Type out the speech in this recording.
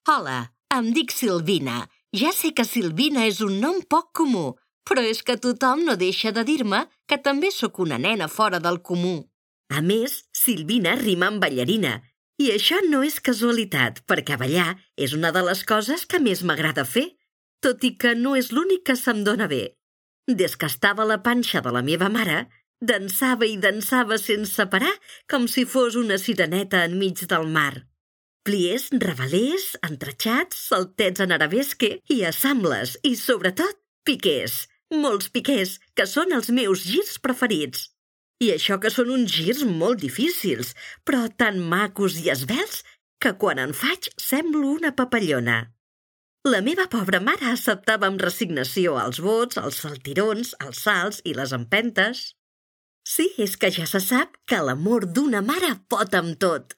Hola, em dic Silvina. Ja sé que Silvina és un nom poc comú, però és que tothom no deixa de dir-me que també sóc una nena fora del comú. A més, Silvina rima amb ballarina. I això no és casualitat, perquè ballar és una de les coses que més m'agrada fer, tot i que no és l'únic que se'm dóna bé. Des que estava a la panxa de la meva mare, dansava i dansava sense parar com si fos una sireneta enmig del mar. Pliés, revelés, entratxats, saltets en arabesque i assambles i, sobretot, piqués. Molts piqués, que són els meus girs preferits. I això que són uns girs molt difícils, però tan macos i esvelts que quan en faig semblo una papallona. La meva pobra mare acceptava amb resignació els bots, els saltirons, els salts i les empentes. Sí, és que ja se sap que l'amor d'una mare pot amb tot.